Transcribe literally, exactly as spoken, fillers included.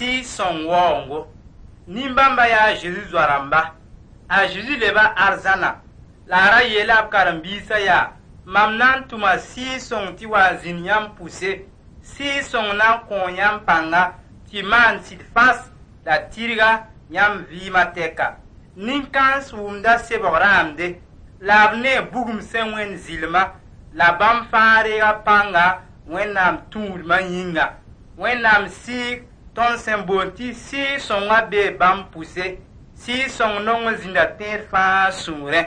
Sɩɩg-sõng waoongo. Nin-bãmba yaa a Zezi zoa-rãmba. A Zezi leba arzãna la a ra yeela b karen-biisã yaa: Mam na n tʋma Sɩɩg-sõng tɩ wa n zĩnd yãmb pʋse. Sɩɩg-sõng na n kõo yãmb pãnga tɩ maan sɩd fãs la tɩrga yãmb vɩɩmã tɛka. Nin-kãens wʋmda sebg rãamde, la b nee bugum sẽn wẽnd zɩlma, la bãmb fãa reega pãnga Wẽnnaam tũudmã yĩnga. Wẽnnaam Sɩɩg tõnd sẽn boond tɩ Sɩɩg-sõngã bee bãmb pʋse. Sɩɩg-sõng nong n zĩnda tẽed fãa sũurẽ.